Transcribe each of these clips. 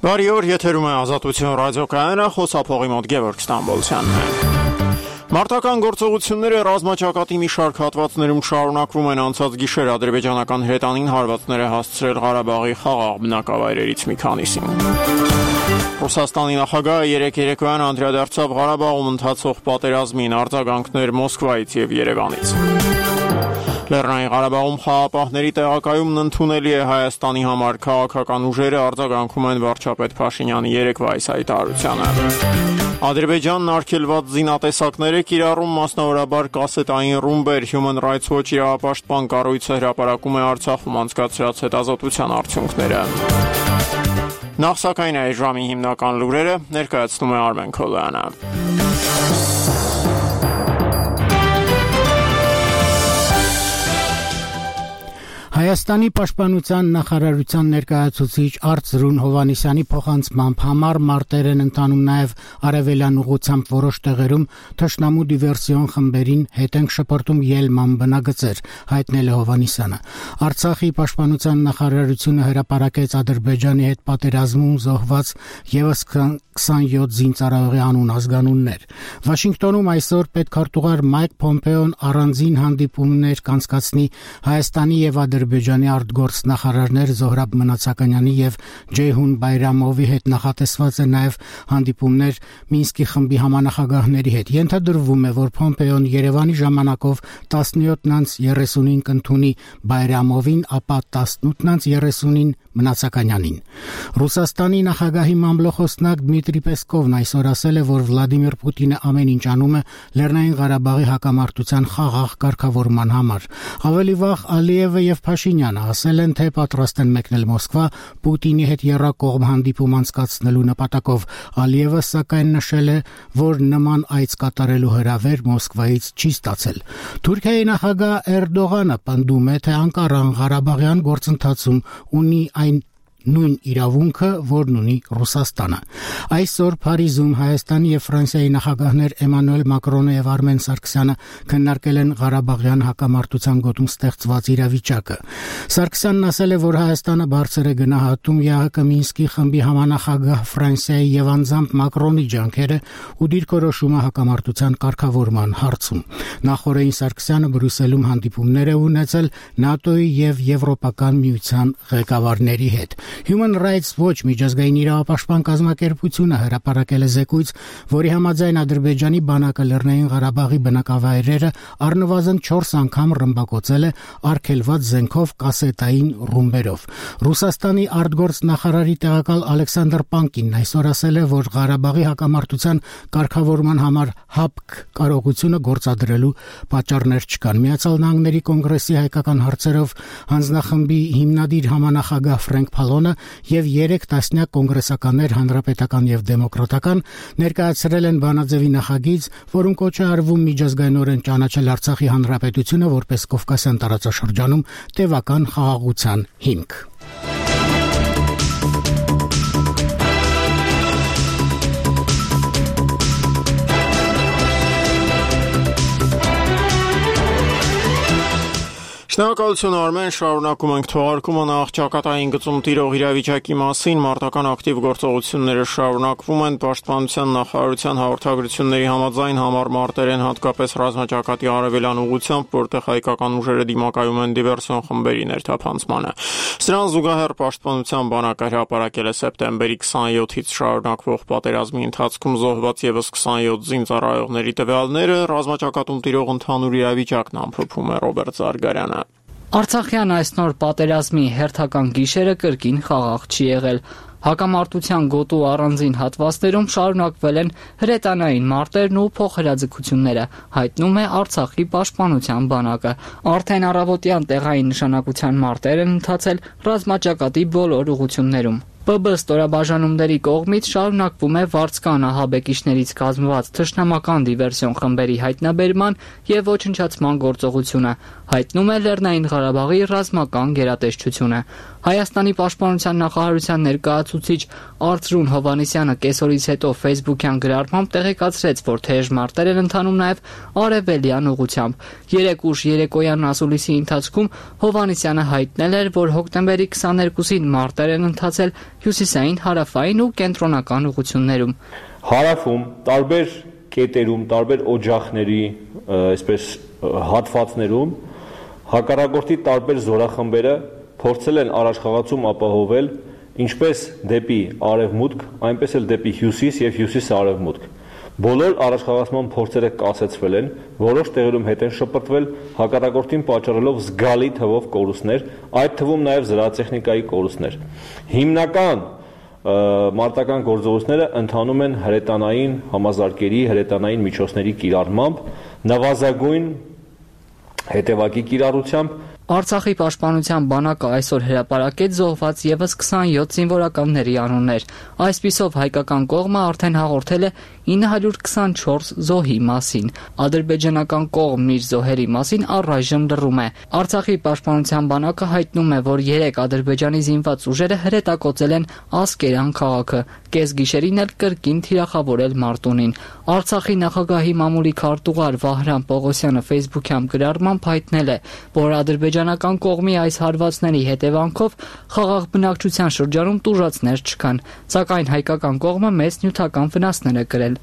Բարի օր, եթերում է Ազատություն ռադիոկայանը, խոսափողի մոտ Գևորգ Ստամբոլցյանն է։ Մարտական գործողությունները ռազմաճակատի մի շարք հատվածներում շարունակվում են անցած գիշեր ադրբեջանական հրետանին հարվածներ է հասցրել Ղարաբաղի խաղաղ բնակավայրերից մի քանիսին։ Ռուսաստանի նախագահը երեկոյան անդրադարձավ Ղարաբաղում ընթացող պատերազմին, արձագանքներ Մոսկվայից եւ Երևանից։ Լեռնային Ղարաբաղում խաղապահների տեղակայումն ընդունելի է Հայաստանի համար, քաղաքական ուժերը արձագանքում են վարչապետ Փաշինյանի երեկվա այս հայտարարությանը։ Ադրբեջանն արգելված զինատեսակներ է կիրառում, մասնավորաբար կասետային ռումբեր։ Human Rights Watch իրավապաշտպան կառույցը հրապարակում է Արցախում անցկացրած հետազոտության արդյունքները։ Նախ սակայն այս ժամի հիմնական լուրերը ներկայացնում է Արմեն Քոլյանը։ Հայաստանի պաշտպանության նախարարության ներկայացուցիչ Արծրուն Հովհաննիսյանի փոխանցմամբ համառ մարտեր են ընթանում նաև արևելյան ուղությամբ որոշ տեղերում թշնամու դիվերսիոն խմբերին հետ են շպրտում ելման բնագծեր, հայտնել է Հովհաննիսյանը։ Արցախի պաշտպանության նախարարությունը հրապարակեց Ադրբեջանի հետ պատերազմում զոհված եւս 27 զինծառայողի անուն ազգանուններ։ Վաշինգտոնում այսօր պետքարտուղար Մայք Փոմպեոն առանձին հանդիպումներ կանցկացնի Հայաստանի եւ Ադրբեջանի արտգործ նախարարներ Զոհրաբ Մնացականյանի եւ Ջեյհուն Բայրամովի հետ նախատեսված է նաեւ հանդիպումներ Մինսկի խմբի համանախագահների հետ։ Ենթադրվում է, որ Փոմպեոն Երևանի ժամանակով 17:35 կընդունի Բայրամովին, ապա 18:30 Մնացականյանին։ Ռուսաստանի նախագահի մամլոխոսնակ Դմիտրի Պեսկովն այսօր ասել է, որ Վլադիմիր Պուտինը ամեն ինչ անում է Լեռնային Ղարաբաղի հակամարտության խաղաղ կարգավորման համար։ Ավելի վաղ Ալիևը եւ Փաշինյանը ասել են, թե պատրաստ են մեկնել Մոսկվա Պուտինի հետ եռակողմ հանդիպում անցկացնելու նպատակով։ Ալիևը սակայն նշել է, որ նման այց կատարելու հրավեր Մոսկվայից չի ստացել։ Թուրքիայի նախագահ Էրդողանը պնդում է, թե Անկարան Ղարաբաղյան գործընթացում ունի այն նույն իրավունքը, որն ունի Ռուսաստանը։ Այսօր Փարիզում Հայաստանի եւ Ֆրանսիայի նախագահներ Էմանուել Մակրոնը եւ Արմեն Սարգսյանը քննարկել են Ղարաբաղյան հակամարտության գոտում ստեղծված իրավիճակը։ Սարգսյանն ասել է, որ Հայաստանը բարձր է գնահատում ԵԱՀԿ Մինսկի խմբի համանախագահ Ֆրանսիայի եւ անձամբ Մակրոնի ջանքերը ու դիրքորոշումը հակամարտության կարգավորման հարցում։ Նախորդին Սարգսյանը Բրյուսելում հանդիպումներ է ունեցել ՆԱՏՕ-ի եւ Եվրոպական միության ղեկավարների հետ։ Human Rights Watch միջազգային իրավապաշտպան կազմակերպությունը հրապարակել է զեկույց, որի համաձայն Ադրբեջանի բանակը Լեռնային Ղարաբաղի բնակավայրերը առնվազն 4 անգամ ռմբակոծել է արգելված զենքով կասետային ռումբերով։ Ռուսաստանի արտգործ նախարարի տեղակալ Ալեքսանդր Պանկինն այսօր ասել է, որ Ղարաբաղի հակամարտության կարգավորման համար ՀԱՊԿ կարողությունը գործադրելու պատճառներ չկան։ Միացյալ Նահանգների կոնգրեսի հայկական հարցերով հանձնախմբի հիմնադիր համանախագահ Ֆրենկ Փալոնը եւ 3 տասնյակ կոնգրեսականներ հանրապետական եւ դեմոկրատական ներկայացրել են բանաձևի նախագիծ, որում կոչ է արվում միջազգայինորեն ճանաչել Արցախի հանրապետությունը որպես Կովկասյան տարածաշրջանում տևական խաղաղության հիմք։ Շնորհակալություն Արմեն, շարունակում ենք թողարկումը նախ ճակատային գծում տիրող իրավիճակի մասին։ Մարտական ակտիվ գործողությունները շարունակվում են։ Պաշտպանության նախարարության հաղորդագրությունների համաձայն համառ մարտեր են հատկապես ռազմաճակատի արևելյան ուղությամբ, որտեղ հայկական ուժերը դիմակայում են դիվերսիոն խմբերի ներթափանցմանը։ Սրան զուգահեռ պաշտպանության բանակը հրապարակել է սեպտեմբերի 27-ից շարունակվող պատերազմի ընթացքում զոհված եւս 27 զինծառայողների տվյալները։ Ռազմաճակատում տիրող ընդհանուր իրավիճակն ամփոփում է Ռոբերտ Զարգարյանը։ Արցախյան այս նոր պատերազմի հերթական գիշերը կրկին խաղաղ չի եղել։ Հակամարտության գոտու առանձին հատվածներում շարունակվել են հրետանային մարտերն ու փոխհրաձգությունները, հայտնում է Արցախի պաշտպանության բանակը։ Արդեն առավոտյան տեղային նշանակության մարտեր են ընթացել ռազմաճակատի բոլոր ուղղություններում։ ՊԲ ստորաբաժանումների կողմից շարունակվում է վարձկան ահաբեկիչներից կազմված թշնամական դիվերսիոն խմբերի հայտնաբերման եւ ոչնչացման գործողությունը, հայտնում է Լեռնային Ղարաբաղի ռազմական գերատեսչությունը։ Հայաստանի պաշտպանության նախարարության ներկայացուցիչ Արծրուն Հովհաննիսյանը կեսօրից հետո Facebook-յան գրառմամբ տեղեկացրեց, որ թեժ մարտեր են ընթանում նաև արևելյան ուղղությամբ։ 3 ուշ երեկոյան ասուլիսի ընթացքում Հովհաննիսյանը հայտնել էր, որ հոկտեմբերի 22-ին մարտեր են ընթացել հյուսիսային, հարավային ու կենտրոնական ուղղություններում։ Հարավում տարբեր կետերում, տարբեր օջախների, այսպես հատվածներում հակառակորդի տարբեր զորախմբերը փորձել են առաջխաղացում ապահովել ինչպես դեպի արևմուտք, այնպես էլ դեպի հյուսիս եւ հյուսիս-արևմուտք։ Բոլոր առաջխաղացման փորձերը կասեցվել են, որոշ տեղերում հետ են շպրտվել, հակառակորդին պատճառելով զգալի թվով կորուստներ, այդ թվում նաև զրահատեխնիկայի կորուստներ։ Հիմնական մարտական գործողությունները ընթանում են հրետանային համազարկերի, հրետանային միջոցների կիրառմամբ, նվազագույն հետևակի կիրառությամբ։ Արցախի պաշտպանության բանակը այսօր հրապարակեց զոհված եւս 27 զինվորականների անուններ։ Այսպիսով հայկական կողմը արդեն հաղորդել է 924 զոհի մասին։ Ադրբեջանական կողմն իր զոհերի մասին առայժմ լռում է։ Արցախի պաշտպանության բանակը հայտնում է, որ 3 ադրբեջանի զինված ուժերը հրետակոծել են Ասկերան քաղաքը, կեսգիշերին էլ կրկին թիրախավորել Մարտունին։ Արցախի նախագահի մամուլի քարտուղար Վահրամ Պողոսյանը Facebook-յան գրառմամբ հայտնել է, որ ադրբեջանական կողմի այս հարվածների հետևանքով խաղաղ բնակչության շրջանում տուժածներ չկան, սակայն հայկական կողմը մեծ նյութական վնասներ է կրել։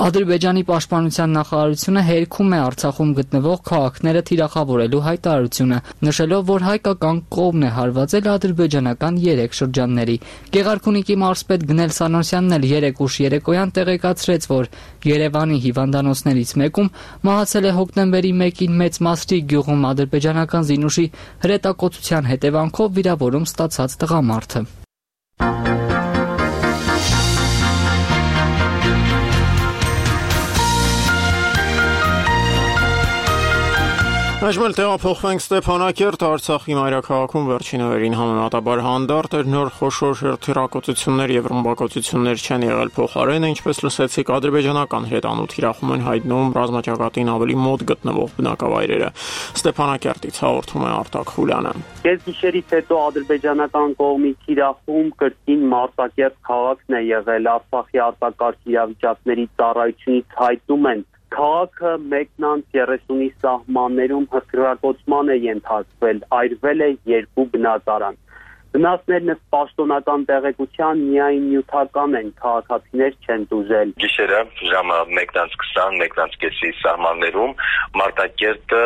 Ադրբեջանի պաշտպանության նախարարությունը հերքում է Արցախում գտնվող քաղաքները թիրախավորելու հայտարարությունը, նշելով, որ հայկական կողմն է հարվածել ադրբեջանական 3 շրջանների։ Գեղարքունիքի մարզպետ Գնել Սանոսյանն էլ 3 ուշ երեկոյան տեղեկացրեց, որ Երևանի հիվանդանոցներից մեկում մահացել է հոկտեմբերի 1-ին Մեծ Մասրի գյուղում ադրբեջանական զինուշի հրետակոծության հետևանքով վիրավորում ստացած տղամարդը։ Այժմ էլ տեղափոխվենք Ստեփանակերտ, Արցախի մայրաքաղաքում վերջին օրերին համեմատաբար հանդարտ էր, նոր խոշոր հրթիռակոծություններ եւ ռմբակոծություններ չեն եղել փոխարենը, ինչպես լսեցիք, ադրբեջանական հրետանու թիրախում են հայտնում ռազմաճակատին ավելի մոտ գտնվող բնակավայրերը։ Ստեփանակերտից հաղորդում է Արտակ Խուլյանը։ Կեսգիշերից հետո ադրբեջանական կողմի թիրախում կրկին Մարտակերտ քաղաքն է եղել։ Արցախի արտակարգ իրավիճակների ծառայությունից հայտնում են, քաղաքը 1-30-ի սահմաններում հրթիռակոծման է ենթարկվել, այրվել է 2 բնակարան։ Վնասներն ըստ պաշտոնական տեղեկության միայն նյութական են, քաղաքացիներ չեն տուժել։ Գիշերը ժամը 1:20, 1:30-ի սահմաններում Մարտակերտը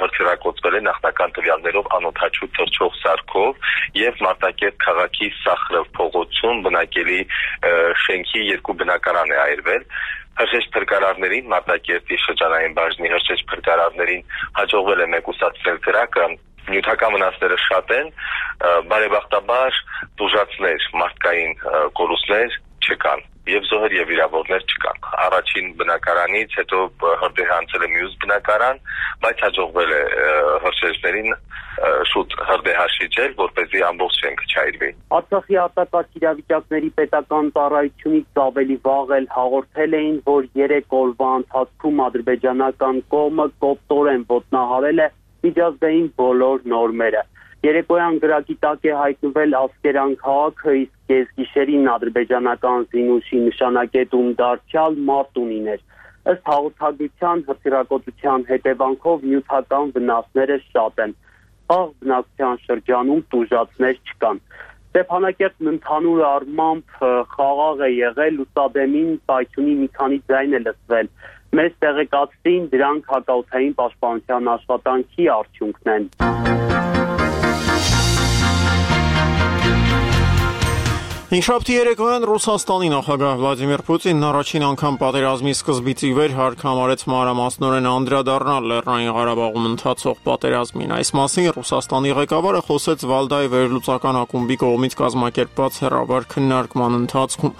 հրթիռակոծվել է նախնական տվյալներով անօդաչու թռչող սարքով եւ Մարտակերտ քաղաքի Սախրով փողոցում բնակելի շենքի 2 բնակարան է այրվել։ Հրշեջ փրկարարներին Մարտակերտի շրջանային բաժնի հրշեջ փրկարարներին հաջողվել է մեկուսացնել կրակը, նյութական վնասները շատ են, բարեբախտաբար տուժածներ, մարդկային կորուստներ չկան եւ զոհեր եւ վիրավորներ չկան։ Առաջին բնակարանից հետո հրդեհանցել է մյուս բնակարան, բայց հաջողվել է հրշեջներին շուտ հրդեհաշիջել, որպեսզի ամբողջ շենքը չայրվի։ Արցախի արտակարգ իրավիճակների պետական ծառայությունից ավելի վաղ էլ հաղորդել էին, որ 3 օրվա ընթացքում ադրբեջանական կողմը կոպտորեն ոտնահարել է միջազգային բոլոր նորմերը։ Երեկոյան գրակի տակ է հայտնվել Ասկերան քաղաքը, իսկ կեսգիշերին ադրբեջանական զինուշի նշանակետում դարձյալ Մարտունին էր։ Ըստ հաղորդագրության հրթիռակոծության հետևանքով նյութական վնասները շատ են։ Խաղաղ բնակչության շրջանում տուժածներ չկան։ Ստեփանակերտն ընդհանուր առմամբ խաղաղ է եղել, լուսադեմին պայթյունի մի քանի ձայն է լսվել։ Մեզ տեղեկացրին, դրանք հակաօդային պաշտպանության աշխատանքի արդյունքն են։ Հինգշաբթի երեկոյան Ռուսաստանի նախագահ Վլադիմիր Պուտինն առաջին անգամ պատերազմի սկզբից ի վեր հարկամարեց մանրամասնորեն անդրադառնալ Լեռնային Ղարաբաղում ընթացող պատերազմին։ Այս մասին Ռուսաստանի ղեկավարը խոսեց Վալդայի վերլուծական ակումբի կողմից կազմակերպված հեռավար քննարկման ընթացքում։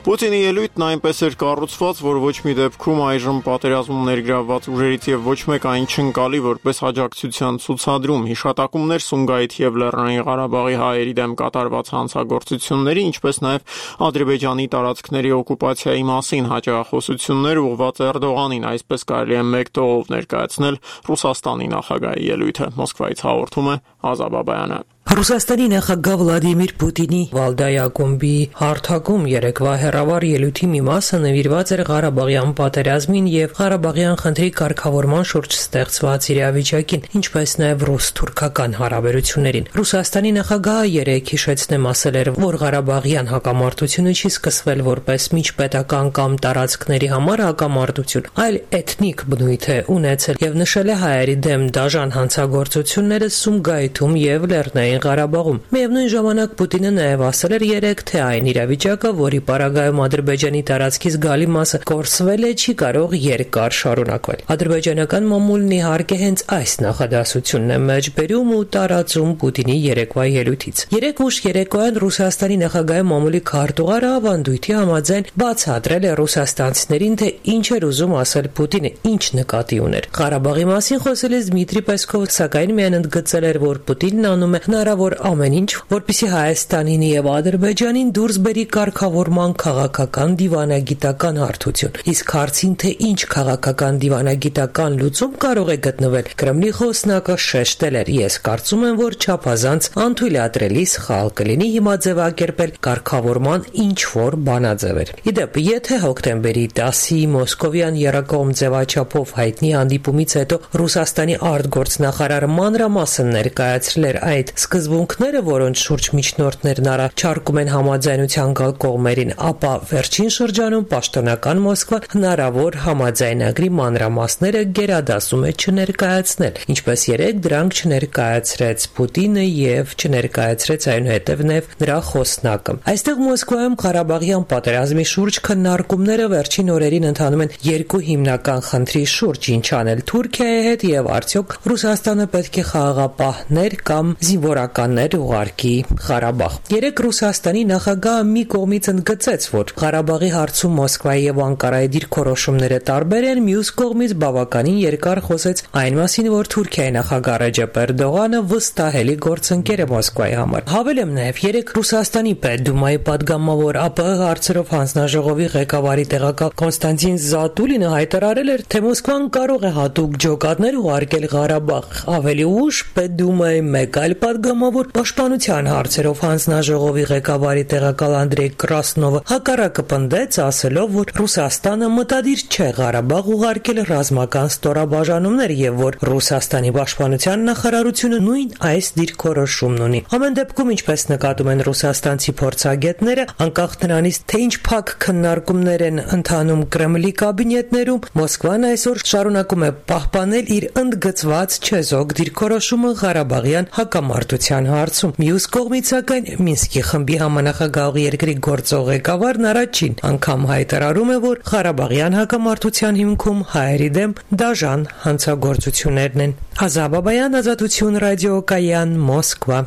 Պուտինի ելույթն այնպես էր կառուցված, որ ոչ մի դեպքում այժմ պատերազմում ներգրավված ուժերից եւ ոչ մեկ այն չընկալի որպես աջակցության ցուցադրում։ Հիշատակումներ Սումգայիթ եւ Լեռնային Ղարաբաղի հայերի դեմ կատարված հանցագործությունների, ինչպես նաև Ադրբեջանի տարածքների օկուպացիայի մասին հաջողախոսություններ ուղղված Էրդողանին, այսպես կարելի է մեկ տողով ներկայացնել Ռուսաստանի նախագահի ելույթը։ Մոսկվայից հաղորդում է Ազա Բաբայանը։ Ռուսաստանի նախագահ Վլադիմիր Պուտինի Վալդայ ակումբի հարթակում երեկվա հեռավար ելույթի մի մասը նվիրված էր Ղարաբաղյան պատերազմին եւ Ղարաբաղյան խնդրի կարգավորման շուրջ ստեղծված իրավիճակին, ինչպես նաեւ ռուս-թուրքական հարաբերություններին։ Ռուսաստանի նախագահը երեկ հիշեցնեմ ասել էր, որ Ղարաբաղյան հակամարտությունը չի սկսվել որպես միջպետական կամ տարածքների համար հակամարտություն, այլ էթնիկ բնույթ է ունեցել եւ նշել է հայերի դեմ դաժան հանցագործությունները Սումգայիթում եւ Լեռնային Ղարաբաղում։ Միևնույն ժամանակ Պուտինը նաև ասել էր երեկ, թե այն իրավիճակը, որի պարագայում Ադրբեջանի տարածքից գալի մասը կորսվել է, չի կարող երկար շարունակվել։ Ադրբեջանական մամուլն իհարկե հենց այս նախադասությունն է մեջբերում ու տարածում Պուտինի երեկվա ելույթից։ Երեկ ուշ երեկոյան Ռուսաստանի նախագահի մամուլի քարտուղարը ավանդույթի համաձայն բացատրել է ռուսաստանցիներին, թե ինչ էր ուզում ասել Պուտինը, ինչ նկատի ուներ։ Ղարաբաղի մասին խոսելիս Դմիտրի Պեսկովը սակայն միայն ընդգծել էր, որ Պուտինն անում է հնարավոր ամեն ինչ, որպեսզի Հայաստանին եւ Ադրբեջանին դուրս բերի կարգավորման քաղաքական դիվանագիտական հարթություն։ Իսկ հարցին, թե ինչ քաղաքական դիվանագիտական լուծում կարող է գտնվել, Կրեմլի խոսնակը շեշտել էր. «Ես կարծում եմ, որ չափազանց անթույլատրելի սխալ կլինի հիմա ձևակերպել կարգավորման ինչ-որ բանաձևեր»։ Իդեպ, եթե հոկտեմբերի 10-ի Մոսկովյան եռակողմ ձևաչափով հայտնի հանդիպումից հետո Ռուսաստանի արտգործնախարար մանրամասն ներկայացրել էր այդ սկզբունքները, որոնց շուրջ միջնորդներն առաջարկում են համաձայնության գալ կողմերին, ապա վերջին շրջանում պաշտոնական Մոսկվան հնարավոր համաձայնագրի մանրամասները գերադասում է չներկայացնել, ինչպես երեկ դրանք չներկայացրեց Պուտինը եւ չներկայացրեց այնուհետեւ նրա խոսնակը։ Այստեղ Մոսկվայում Ղարաբաղյան պատերազմի շուրջ քննարկումները վերջին օրերին ընթանում են երկու հիմնական խնդրի շուրջ՝ ինչ անել Թուրքիայի հետ եւ արդյոք Ռուսաստանը պետք է խաղաղապահներ կամ զինվորականներ ուղարկի Ղարաբաղ։ Երեկ Ռուսաստանի նախագահը մի կողմից ընդգծեց, որ Ղարաբաղի հարցում Մոսկվայի եւ Անկարայի դիրքորոշումները տարբեր են, մյուս կողմից բավականին երկար խոսեց այն մասին, որ Թուրքիայի նախագահ Ռեջեփ Էրդողանը վստահելի գործընկեր է Մոսկվայի համար։ Հավելեմ նաեւ երեկ Ռուսաստանի Պետդումայի падգամավոր ԱՊՀ հարցերով հանձնաժողովի ղեկավարի տեղակալ Կոնստանտին Զատուլինը հայտարարել էր, թե Մոսկվան կարող է հատուկ ջոկատներ ուղարկել Ղարաբաղ։ Ավելի ուշ Պետդումայի մեկ այլ падգամավոր պաշտպանության հարցերով հանձնաժողովի ղեկավարի տեղակալ Անդրեյ Կրասնովը հակառակը պնդեց, ասելով, որ Ռուսաստանը մտադիր չէ Ղարաբաղ ուղարկել ռազմական ստորաբաժանումներ եւ որ Ռուսաստանի պաշտպանության նախարարությունը նույն այս դիրքորոշումն ունի։ Ամեն դեպքում, ինչպես նկատում են ռուսաստանցի փորձագետները, անկախ նրանից, թե ինչ փակ քննարկումներ են ընթանում Կրեմլի կաբինետներում, Մոսկվան այսօր շարունակում է պահպանել իր ընդգծված չեզոք դիրքորոշումը Ղարաբաղյան հակամարտության հարցում։ Մյուս կողմից, սակայն, Մինսկի խմբի համանախագահողի երկրի գործող ղեկավարն առաջին անգամ հայտարարում է, որ Ղարաբաղյան հակամարտության հիմքում հայերի դեմ դաժան հանցագործություններն են։ Ազա Բաբայան, Ազատություն ռադիոկայան, Մոսկվա։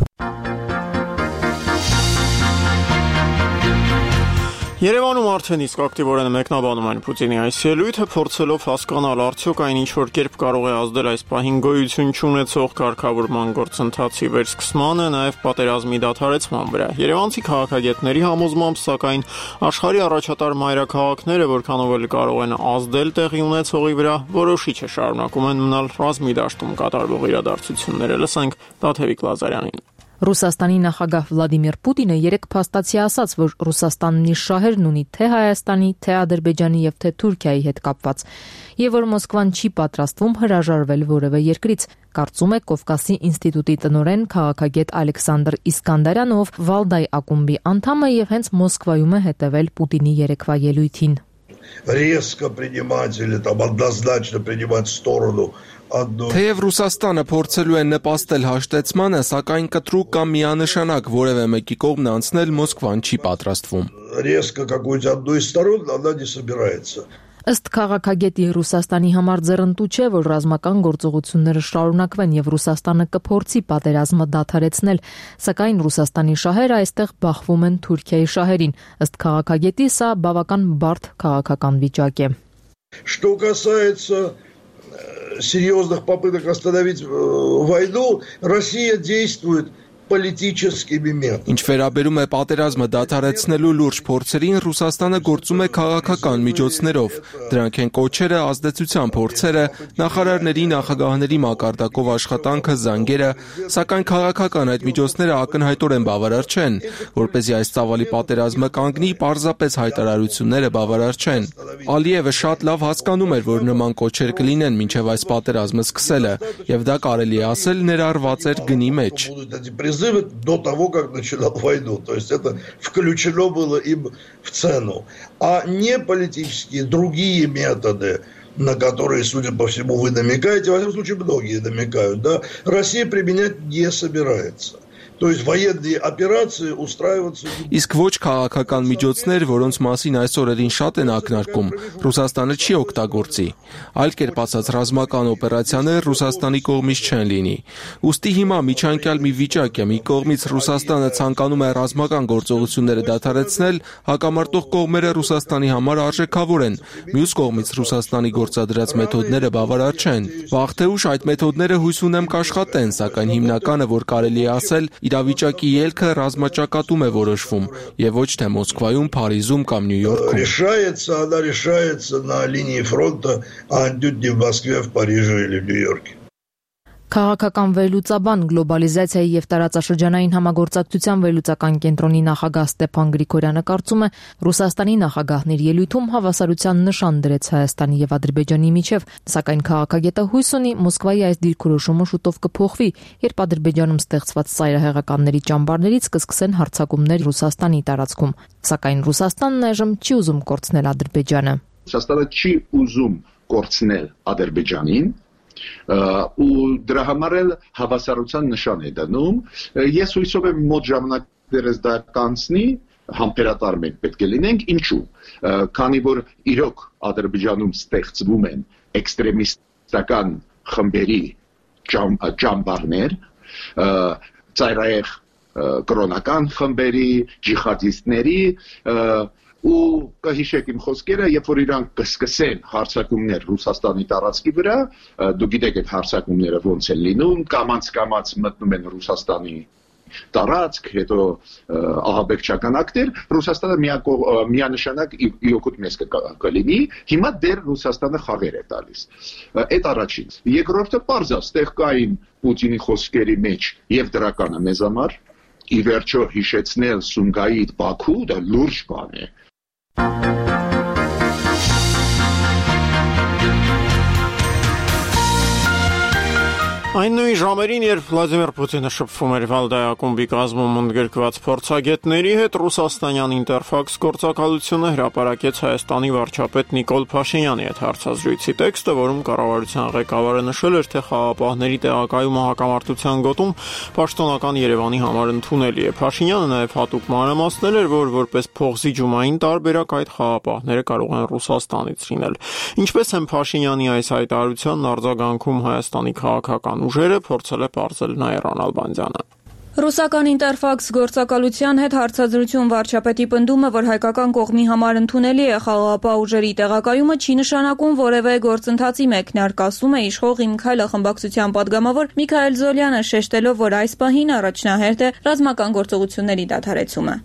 Երևանում արդեն իսկ ակտիվորեն մեկնաբանում են Պուտինի այս ելույթը, փորձելով հասկանալ արդյոք այն ինչ-որ կերպ կարող է ազդել այս պահին գոյություն չունեցող կարգավորման գործընթացի վերսկսմանը, նաև պատերազմի դադարեցման վրա։ Երևանցի քաղաքագետների համոզմամբ, սակայն, աշխարհի առաջատար մայրաքաղաքները, որքանով էլ կարող են ազդել տեղի ունեցողի վրա, որոշիչ է շարունակում են մնալ ռազմի դաշտում կատարվող իրադարձությունները։ Լսենք Տաթևիկ Լազարյանին։ Ռուսաստանի նախագահ Վլադիմիր Պուտինը երեկ փաստացի ասաց, որ Ռուսաստանն իր շահերն ունի թե Հայաստանի, թե Ադրբեջանի եւ թե Թուրքիայի հետ կապված, եւ որ Մոսկվան չի պատրաստվում հրաժարվել որևէ երկրից, կարծում է Կովկասի ինստիտուտի տնօրեն քաղաքագետ Ալեքսանդր Իսկանդարյանը, ով Վալդայ ակումբի անդամ է եւ հենց Մոսկվայում է հետեւել Պուտինի երեկվա ելույթին։ Резко принимать или там однозначно принимать сторону одну. Թեև Ռուսաստանը փորձելու է նպաստել հաշտեցմանը, սակայն կտրուկ կամ միանշանակ որևէ մեկի կողմն անցնել Մոսկվան չի պատրաստվում։ Резко какую-то одну из сторон она не собирается. Ըստ քաղաքագետի Ռուսաստանի համար ձեռնտու չէ, որ ռազմական գործողությունները շարունակվեն եւ Ռուսաստանը կփորձի պատերազմը դադարեցնել, սակայն Ռուսաստանի шահերը այստեղ բախվում են Թուրքիայի шահերին։ Ըստ քաղաքագետի սա բավական բարդ քաղաքական վիճակ է։ Что касается серьезных попыток остановить войну, Россия действует политическими методами. Ինչ վերաբերում է պատերազմը դադարեցնելու լուրջ փորձերին, Ռուսաստանը գործում է քաղաքական միջոցներով։ Դրանք են կոչերը, ազդեցության փորձերը, նախարարների, նախագահների մակարդակով աշխատանքը, զանգերը, սակայն քաղաքական այդ միջոցները ակնհայտորեն բավարար չեն։ Որպեսզի այս ծավալի պատերազմը կանգնի, պարզապես հայտարարությունները բավարար չեն։ Ալիևը շատ լավ հասկանում էր, որ նման կոչեր կլինեն մինչև այս պատերազմը սկսելը, եւ դա կարելի է ասել ներառված էր գնի մեջ։ До того, как начинал войну. То есть это включено было им в цену. А не политические другие методы, на которые, судя по всему, вы намекаете, во всяком случае, многие намекают, да, Россия применять не собирается. То есть военные операции устраиваться. Իսկ ոչ քաղաքական միջոցներ, որոնց մասին այս օրերին շատ են ակնարկում, Ռուսաստանը չի օգտագործի։ Այլ կերպ ասած, ռազմական օպերացիաներ Ռուսաստանի կողմից չեն լինի։ Ուստի հիմա միջանկյալ մի վիճակ է, մի կողմից Ռուսաստանը ցանկանում է ռազմական գործողությունները դադարեցնել, հակամարտող կողմերը Ռուսաստանի համար արժեքավոր են։ Մյուս կողմից Ռուսաստանի գործադրած մեթոդները բավարար չեն։ Վաղ թե ուշ այդ մեթոդները հույս ունեմ կաշխատեն, սակայն հիմնականը, որ կարելի է ասել, իրավիճակի ելքը ռազմաճակատում է որոշվում եւ ոչ թե Մոսկվայում, Փարիզում կամ Նյու Յորքում։ Решается на линии фронта, а не в Москве, в Париже или в Нью-Йорке. Քաղաքական վերլուծաբան, գլոբալիզացիայի եւ տարածաշրջանային համագործակցության վերլուծական կենտրոնի նախագահ Ստեփան Գրիգորյանը կարծում է, Ռուսաստանի նախագահների ելույթում հավասարության նշան դրեց Հայաստանի եւ Ադրբեջանի միջև, սակայն քաղաքագետը հույս ունի Մոսկվայի այս դիրքորոշումը շուտով կփոխվի, երբ Ադրբեջանում ստեղծված ծայրահեղականների ճամբարներից կսկսեն հարձակումներ Ռուսաստանի տարածքում, սակայն Ռուսաստանն այժմ չի ուզում կորցնել Ադրբեջանը։ Ռուսաստանը չի ուզում կորցնել Ադրբեջանին ու դրա համար էլ հավասարության նշան է դնում։ Ես հույսով եմ մոտ ժամանակներս դա կանցնի, համբերատար մենք պետք է լինենք, ինչու։ Քանի որ իրոք Ադրբեջանում ստեղծվում են էքստրեմիստական խմբերի ճամբարներ, ծայրահեղ կրոնական խմբերի, ջիհադիստների ու կհիշեք իմ խոսքերը, երբ որ իրանք կսկսեն հարձակումներ Ռուսաստանի տարածքի վրա, դու գիտեք այդ հարձակումները ոնց են լինում, կամաց մտնում են Ռուսաստանի տարածք, հետո ահաբեկչական ակտեր, Ռուսաստանը միանշանակ իօգուտ մեզ կլինի, հիմա դեռ Ռուսաստանը խաղեր է տալիս։ Այդ առաջին։ Երկրորդը պարզ է, ստեղ կային Պուտինի խոսքերի մեջ եւ դրականը մեզ համար, ի վերջո հիշեցնել Սումգայիթ Բաքու, դա լուրջ բան է։ Այն նույն ժամերին, երբ Վլադիմիր Պուտինը շփվում էր Վալդայակումբի կազմում ընդգրկված փորձագետների հետ, ռուսաստանյան Ինտերֆաքս գործակալությունը հրապարակեց Հայաստանի վարչապետ Նիկոլ Փաշինյանի հետ հարցազրույցի տեքստը, որում կառավարության ղեկավարը նշել էր, թե խաղաղապահների տեղակայումը հակամարտության գոտում պաշտոնական Երևանի համար ընդունելի է։ Փաշինյանը նաև հատուկ մանրամասնել էր, որ որպես փողզիջումային տարբերակ այդ խաղաղապահները կարող են Ռուսաստանից լինել։ Ինչպես են Փաշինյանի այս հայտարարությանն արձագանքում Հայաստանի քաղաքական ուժերը, փորձել է պարզել Նաիրան Ալբանդյանը։ Ռուսական Ինտերֆաքս գործակալության հետ հարցազրույցում վարչապետի պնդումը, որ հայկական կողմի համար ընդունելի է խաղաղապահ ուժերի տեղակայումը, չի նշանակում որևէ գործընթացի մեկնարկ, ասում է իշխող Իմ Քայլը խմբակցության պատգամավոր Միքայել Զոլյանը, շեշտելով, որ այս պահին առաջնահերթ է ռազմական գործողությունների դադարեցումը։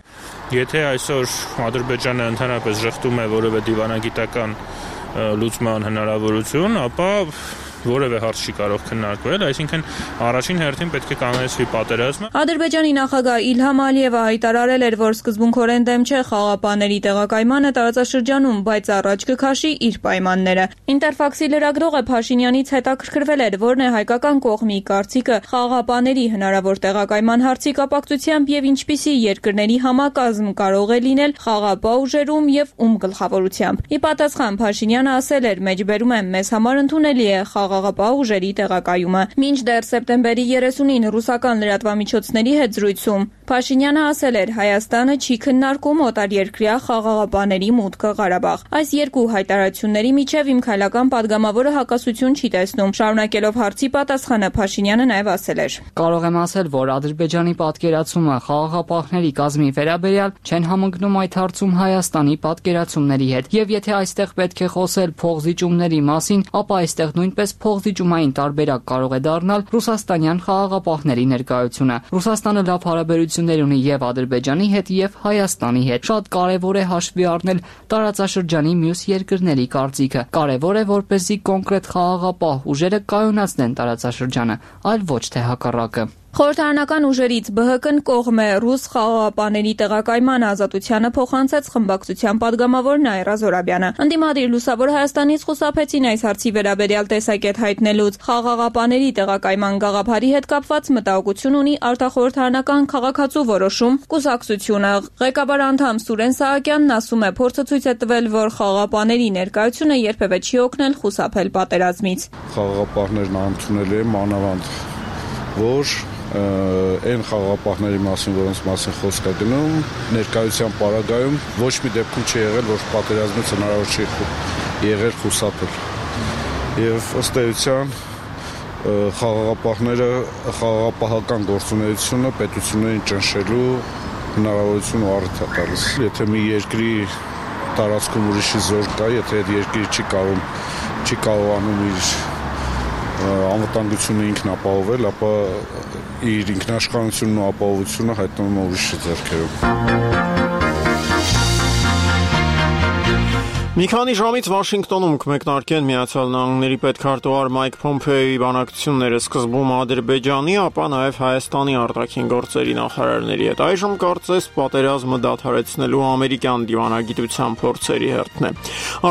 Եթե այսօր Ադրբեջանը ընդհանրապես ժխտում է որևէ դիվանագիտական լուծման հնարավորություն, ապա որևէ հարց չի կարող քննարկվել, այսինքն առաջին հերթին պետք է կանոնացվի պատերազմը։ Ադրբեջանի նախագահ Իլհամ Ալիևը հայտարարել էր, որ սկզբունքորեն դեմ չէ խաղաղապահների տեղակայմանը տարածաշրջանում, բայց առաջ կքաշի իր պայմանները։ Ինտերֆաքսի լրագրողը Փաշինյանից հետաքրքրվել էր, որն է հայկական կողմի կարծիքը խաղաղապահների հնարավոր տեղակայման հարցի կապակցությամբ եւ ինչպիսի երկրների համակազմ կարող է լինել խաղաղապահ ուժերում եւ ում գլխավորությամբ։ Ի պատասխան Փաշինյանը ասել էր. «Մեջբերում եմ, մեզ համար ընդունելի է խաղաղապահ ուժերի տեղակայումը»։ Մինչդեռ սեպտեմբերի 30-ին ռուսական լրատվամիջոցների հետ զրույցում Փաշինյանը ասել էր. «Հայաստանը չի քննարկում օտարերկրյա խաղաղապահների մուտքը Ղարաբաղ»։ Այս երկու հայտարարությունների միջև Իմ Քայլական պատգամավորը հակասություն չի տեսնում։ Շարունակելով հարցի պատասխանը Փաշինյանը նաև ասել էր. «Կարող եմ ասել, որ Ադրբեջանի պատկերացումը խաղաղապահների կազմի վերաբերյալ չեն համընկնում այդ հարցում Հայաստանի պատկերացումների հետ։ Եվ եթե այստեղ պետք է խոսել փողզիջումների մասին, ապա այստեղ նույնպես փողզիջումային տարբերակ կարող է դառնալ ռուսաստանյան խաղաղապահների ներկայությունը։ Ռուսաստանը լավ հարաբերություններ ունի եւ Ադրբեջանի հետ եւ Հայաստանի հետ։ Շատ կարեւոր է հաշվի առնել տարածաշրջանի մյուս երկրների կարծիքը։ Կարեւոր է, որպեսզի կոնկրետ խաղաղապահ ուժերը կայունացնեն տարածաշրջանը, այլ ոչ թե հակառակը։ Խորհրդարանական ուժերից ԲՀԿ-ն կողմ է ռուս խաղաղապահների տեղակայման ազատությանը փոխանցեց խմբակցության падգամավոր Նաիրա Զորաբյանը։ Ընդդիմադիր Լուսավոր Հայաստանից խուսափեցին այս հարցի վերաբերյալ տեսակետ հայտնելուց։ Խաղաղապահների տեղակայման գաղափարի հետ կապված մտահոգություն ունի արտախորհրդարանական քաղաքացու որոշում կուսակցությունը։ Ղեկավար անդամ Սուրեն Սահակյանն ասում է, փորձը ցույց է տվել, որ խաղաղապահների ներկայությունը երբևէ չի օգնել խուսափել պատերազմից։ Խաղաղապահներն ընդունել են մանավանդ, որ այն խաղաղապահների մասին, որոնց մասին խոսք է գնում, ներկայության պարագայում ոչ մի դեպքում չի եղել, որ պատերազմից հնարավոր չի եղել խուսափել։ Եվ ըստ էության խաղաղապահները խաղաղապահական գործունեությունը պետություններին ճնշելու հնարավորություն ու առիթ է տալիս։ Եթե մի երկրի տարածքում ուրիշի զոր կա, եթե այդ երկիրը չի կարողանում իր անվտանգությունը ինքն ապահովել, ապա իր ինքնաշխատությունն ու ապահովությունը հայտնվում է ուրիշի ձեռքերում։ Մի քանի ժամից Վաշինգտոնում կմեկնարկեն Միացյալ Նահանգների պետքարտուղար Մայք Փոմփեոյի բանակցությունները սկզբում Ադրբեջանի, ապա նաև Հայաստանի արտաքին գործերի նախարարների հետ։ Այժմ կարծես պատերազմը դադարեցնելու ամերիկյան դիվանագիտության փորձերի հերթն է։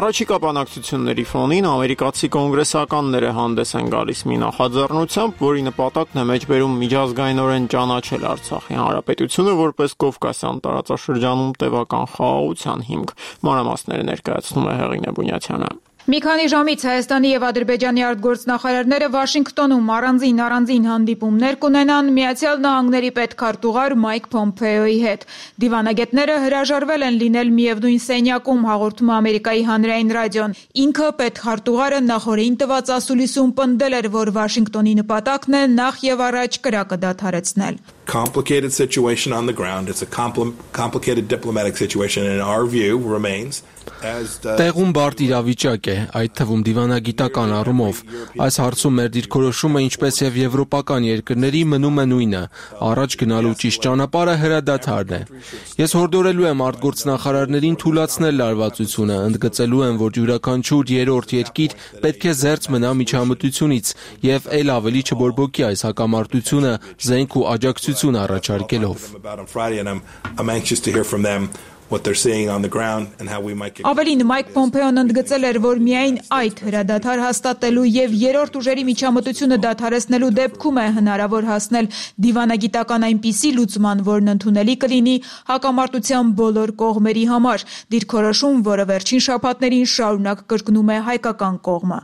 Առաջիկա բանակցությունների ֆոնին ամերիկացի կոնգրեսականները հանդես են գալիս մի նախաձեռնությամբ, որի նպատակն է մեջբերում միջազգայինորեն ճանաչել Արցախի հանրապետությունը որպես Կովկասյան տարածաշրջանում տևական խաղաղության հիմք։ Մանրամասները ներկայացնում Հեղինե Բունյացյանը։ Մի քանի ժամից Հայաստանի եւ Ադրբեջանի արտգործնախարարները Վաշինգտոնում առանձին հանդիպումներ կունենան Միացյալ Նահանգների պետքարտուղար Մայք Փոմփեոյի հետ։ Դիվանագետները հրաժարվել են լինել միևնույն սենյակում, հաղորդում է Ամերիկայի հանրային ռադիոն։ Ինքը պետքարտուղարը նախորդին տված ասուլիսում պնդել էր, որ Վաշինգտոնի նպատակն է նախ եւ առաջ կրակը դադարեցնել։ Complicated situation on the ground. It's a complicated diplomatic situation, and in our view remains as Տեղում բարդ իրավիճակ է, այդ թվում դիվանագիտական առումով։ Այս հարցում մեր դիրքորոշումը, ինչպես եւ եվրոպական երկրների, մնում է նույնը՝ առաջ գնալու ճիշտ ճանապարհը հրադադարն է։ Ես հորդորելու եմ արտգործնախարարներին թույլատրել լարվածությունը, ընդգծելու եմ, որ յուրաքանչյուր երրորդ երկիր պետք է զերծ մնա միջամտությունից եւ ել ավելի չբորբոքի այս հակամարտությունը զենք ու աջակցություն առաջարկելով։ what they're seeing on the ground and how we might get Ավելին Մայք Փոմփեոն ընդգծել էր, որ միայն այդ հրադադար հաստատելու եւ երրորդ ուժերի միջամտությունը դադարեցնելու դեպքում է հնարավոր հասնել դիվանագիտական այնպիսի լուծման, որն ընդունելի կլինի հակամարտության բոլոր կողմերի համար, դիրքորոշում, որը վերջին շաբաթներին շարունակ կրկնում է հայկական կողմը։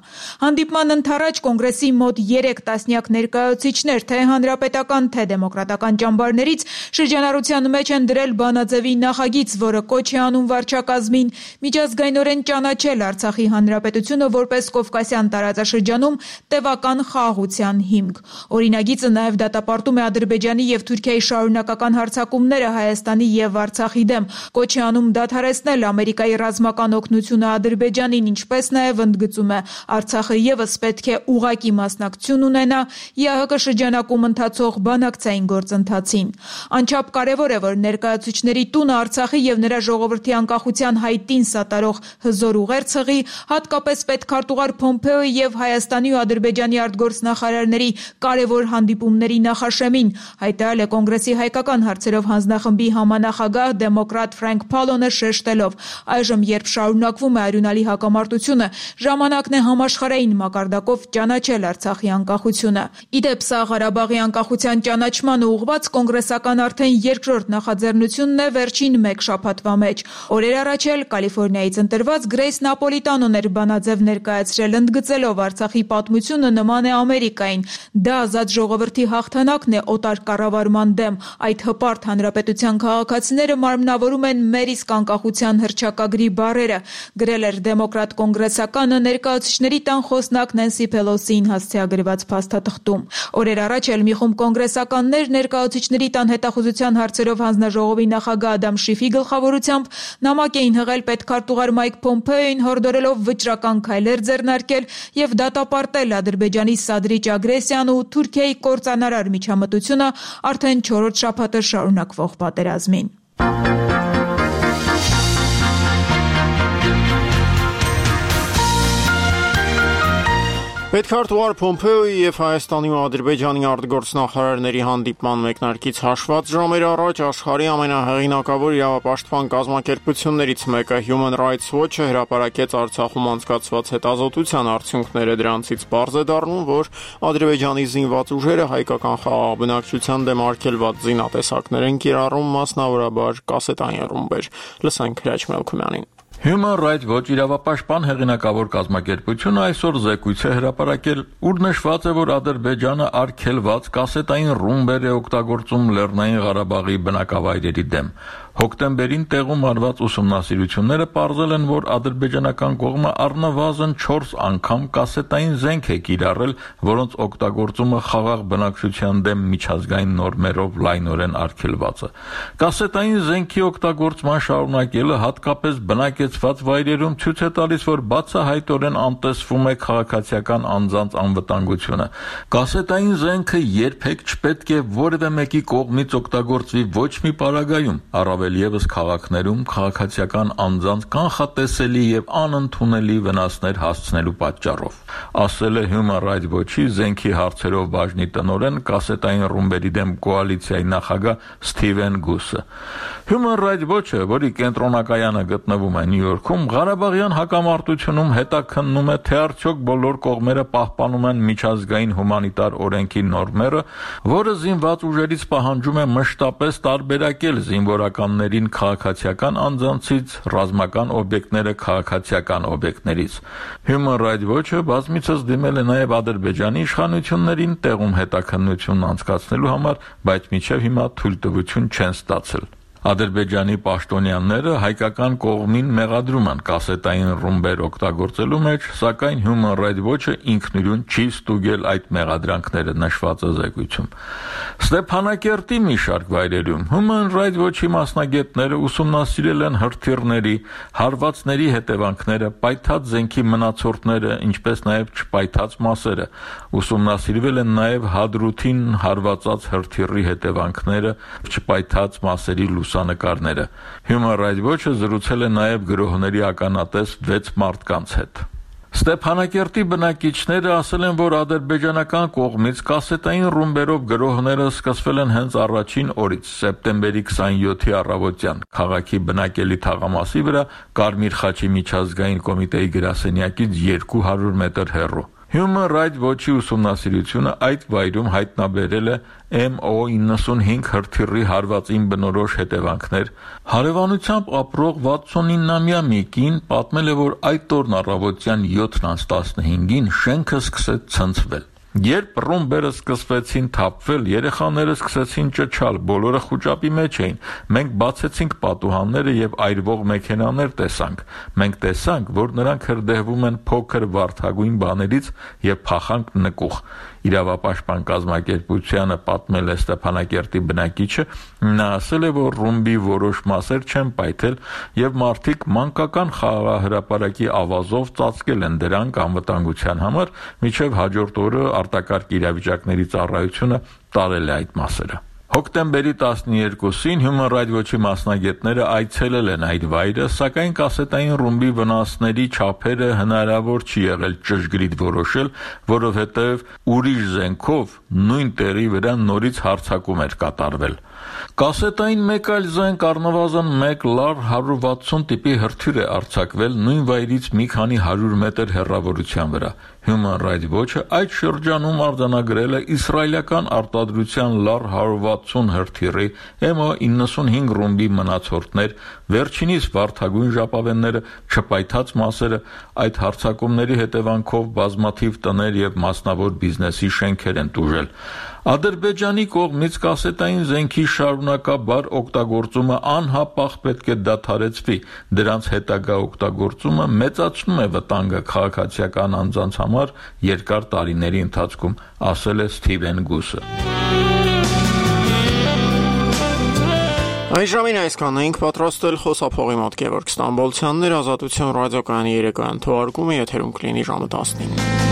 Հանդիպման ընթരാճ կոնգրեսի մոտ 3 տասնյակ ներկայացուցիչներ, թե հանրապետական, թե դեմոկրատական ճամբարներից շրջանառության մեջ են դրել բանաձևի նախագիծ, որը կոչ է անում վարչակազմին միջազգայինորեն ճանաչել Արցախի հանրապետությունը որպես Կովկասյան տարածաշրջանում տևական խաղաղության հիմք։ Օրինագիծը նաև դատապարտում է Ադրբեջանի եւ Թուրքիայի շարունակական հարձակումները Հայաստանի եւ Արցախի դեմ, կոչ է անում դադարեցնել Ամերիկայի ռազմական օգնությունը Ադրբեջանին, ինչպես նաև ընդգծում է Արցախը եւս պետք է ուղղակի մասնակցություն ունենա ԵԱՀԿ շրջանակում ընթացող բանակցային գործընթացին։ Անչափ կարևոր է, որ ներկայացուցիչների տունը Արցախի եւ նրա ժողովրդի անկախության հայտին սատարող հզոր ուղերձի, հատկապես պետքարտուղար Փոմփեոյի եւ Հայաստանի ու Ադրբեջանի արտգործնախարարների կարևոր հանդիպումների նախաշեմին, հայտարարել է կոնգրեսի հայկական հարցերով հանձնախմբի համանախագահ դեմոկրատ Ֆրենկ Փալոնը շեշտելով. այժմ, երբ շարունակվում է արյունալի հակամարտությունը, ժամանակն է համաշխարհային մակարդակով ճանաչել Արցախի անկախությունը։ Իդեպ, սա Ղարաբաղի անկախության ճանաչմանը ուղղված կոնգրեսական արդեն երկրորդ նախաձեռնությունն է վերջին մեկ շաբաթվա մեջ։ Օրեր առաջ էլ Կալիֆոռնիայից ընտրված Գրեյս Նապոլիտանոն էր բանաձև ներկայացրել, ընդգծելով Արցախի պատմությունը նման է Ամերիկային։ Դա ազատ ժողովրդի հաղթանակն է օտար կառավարման դեմ։ Այդ հպարտ հանրապետության քաղաքացիները մարմնավորում են մեր իսկ անկախության հռչակագրի բառերը, գրել էր դեմոկրատ կոնգրեսականը ներկայացուցիչների տան խոսնակ Նենսի Փելոսիին հասցեագրված փաստաթղթում։ Օրեր առաջ էլ մի խումբ կոնգրեսականներ ներկայացուցիչների տան հետախուզության հարցերով հանձնաժողովի նախագահ Ադամ Շիֆի գլխավոր գլխավորությամբ նամակ էին հղել պետքարտուղար Մայք Փոմփեոին, հորդորելով վճռական քայլեր ձեռնարկել եւ դատապարտել Ադրբեջանի սադրիչ ագրեսիան ու Թուրքիայի կործանարար միջամտությունը արդեն 4-րդ շաբաթը շարունակվող պատերազմին։ Պետքարտուղար Փոմփեոյի եւ Հայաստանի ու Ադրբեջանի արտգործնախարարների հանդիպման մեկնարկից հաշված ժամեր առաջ աշխարհի ամենահեղինակավոր իրավապաշտպան կազմակերպություններից մեկը Human Rights Watch-ը հրապարակեց Արցախում անցկացված հետազոտության արդյունքները։ Դրանցից պարզ է դառնում, որ Ադրբեջանի զինված ուժերը հայկական խաղաղ բնակչության դեմ արգելված զինատեսակներ են կիրառում, մասնավորաբար կասետային ռումբեր։ Լսենք Հրաչ Մելքումյանին։ Human Rights Watch իրավապաշտպան հեղինակավոր կազմակերպությունը այսօր զեկույց է հրապարակել, ուր նշված է, որ Ադրբեջանը արգելված կասետային ռումբեր է օգտագործում Լեռնային Ղարաբաղի բնակավայրերի դեմ։ Հոկտեմբերին տեղում արված ուսումնասիրությունները պարզել են, որ ադրբեջանական կողմը առնվազն 4 անգամ կասետային զենք է կիրառել, որոնց օգտագործումը խաղաղ բնակչության դեմ միջազգային նորմերով լայնորեն արգելված է։ Կասետային զենքի օգտագործման շարունակելը հատկապես բնակեցված վայրերում ցույց է տալիս, որ բացահայտորեն անտեսվում է քաղաքացիական անձանց անվտանգությունը։ Կասետային զենքը երբեք չպետք է որևէ մեկի կողմից օգտագործվի ոչ մի պարագայում, առավել ևս քաղաքներում քաղաքացիական անձանց կանխատեսելի եւ անընդունելի վնասներ հասցնելու պատճառով, ասել է Human Rights Watch-ի զենքի հարցերով բաժնի տնօրեն կասետային ռումբերի դեմ կոալիցիայի նախագահ Սթիվեն Գուսը։ Human Rights Watch-ը, որի կենտրոնակայանը գտնվում է Նյու Յորքում, Ղարաբաղյան հակամարտությունում հետաքննում է, թե արդյոք բոլոր կողմերը պահպանում են միջազգային հումանիտար օրենքի նորմերը, որը զինված ուժերից պահանջում է մշտապես տարբերակել զինվորականներին քաղաքացիական անձանցից, ռազմական օբյեկտները քաղաքացիական օբյեկտներից։ Human Rights Watch-ը բազմիցս դիմել է նաև Ադրբեջանի իշխանություններին տեղում հետաքննություն անցկացնելու համար, բայց մինչև հիմա թույլտվություն չեն ստացել։ Ադրբեջանի պաշտոնյաները հայկական կողմին մեղադրում են կասետային ռումբեր օգտագործելու մեջ, սակայն Human Rights Watch-ը ինքնուրույն չի ստուգել այդ մեղադրանքները, նշված է զեկույցում։ Ստեփանակերտի մի շարք վայրերում Human Rights Watch-ի մասնագետները ուսումնասիրել են հրթիռների, հարվածների հետևանքները, պայթած զենքի մնացորդները, ինչպես նաև չպայթած մասերը։ Ուսումնասիրվել են նաև Հադրութին հարվածած հրթիռի հետևանքները, չպայթած մասերի լուսանկարները։ Human Rights Watch-ը զրուցել է նաև գրոհների ականատես 6 մարդկանց հետ։ Ստեփանակերտի բնակիչները ասել են, որ ադրբեջանական կողմից կասետային ռումբերով գրոհները սկսվել են հենց առաջին օրից, սեպտեմբերի 27-ի առավոտյան, քաղաքի բնակելի թաղամասի վրա Կարմիր խաչի միջազգային կոմիտեի գրասենյակից 200 մետր հեռու։ Human Rights Watch-ի ուսումնասիրությունը այդ վայրում հայտնաբերել է MO95 հրթիռի հարվածին բնորոշ հետևանքներ։ Հարևանությամբ ապրող 69-ամյա մի կին պատմել է, որ այդ օրն առավոտյան 7:15-ին շենքը սկսեց ցնցվել։ Երբ ռումբերը սկսվեցին թափվել, երեխաները սկսեցին ճչալ, բոլորը խուճապի մեջ էին։ Մենք բացեցինք պատուհանները եւ այրվող մեքենաներ տեսանք։ Մենք տեսանք, որ նրանք հրդեհվում են փոքր վարդագույն բաներից եւ փախանք նկուղ։ Իրավապաշտպան կազմակերպությանը պատմել է Ստեփանակերտի բնակիչը, նա ասել է, որ ռումբի որոշ մասեր չեն պայթել եւ մարդիկ մանկական խաղահրապարակի ավազով ծածկել են դրանք անվտանգության համար, մինչեւ հաջորդ օրը արտակարգ իրավիճակների ծառայությունը տարել է այդ մասերը։ Հոկտեմբերի 12-ին Human Rights Watch-ի մասնագետները այցելել են այդ վայրը, սակայն կասետային ռումբի վնասների չափերը հնարավոր չի եղել ճշգրիտ որոշել, որովհետև ուրիշ զենքով նույն տեղի վրա նորից հարձակում էր կատարվել։ Կասետային մեկ այլ զենք առնվազն 1 լար 160 տիպի հրթիռ է արձակվել նույն վայրից մի քանի 100 մետր հեռավորության վրա։ Human Rights Watch-ը այդ շրջանում արձանագրել է իսրայելական արտադրության լար 160 հրթիռի MO95 ռումբի մնացորդներ, վերջինիս վարդագույն ժապավենները, չպայթած մասերը, այդ հարձակումների հետևանքով բազմաթիվ տներ եւ մասնավոր բիզնեսի շենքեր են տուժել։ Ադրբեջանի կողմից կասետային զենքի շարունակաբար օգտագործումը անհապաղ պետք է դադարեցվի, դրանց հետագա օգտագործումը մեծացնում է վտանգը քաղաքացիական անձանց համար երկար տարիների ընթացքում, ասել է Սթիվեն Գուսը։ Այս ժամին այսքանն էինք պատրաստել խոսափողի մոտ Գևորգ Ստամբոլցյանն էր, Ազատություն ռադիոկայանի երեկոյան թողարկումը եթերում կլինի ժամը 19-ին։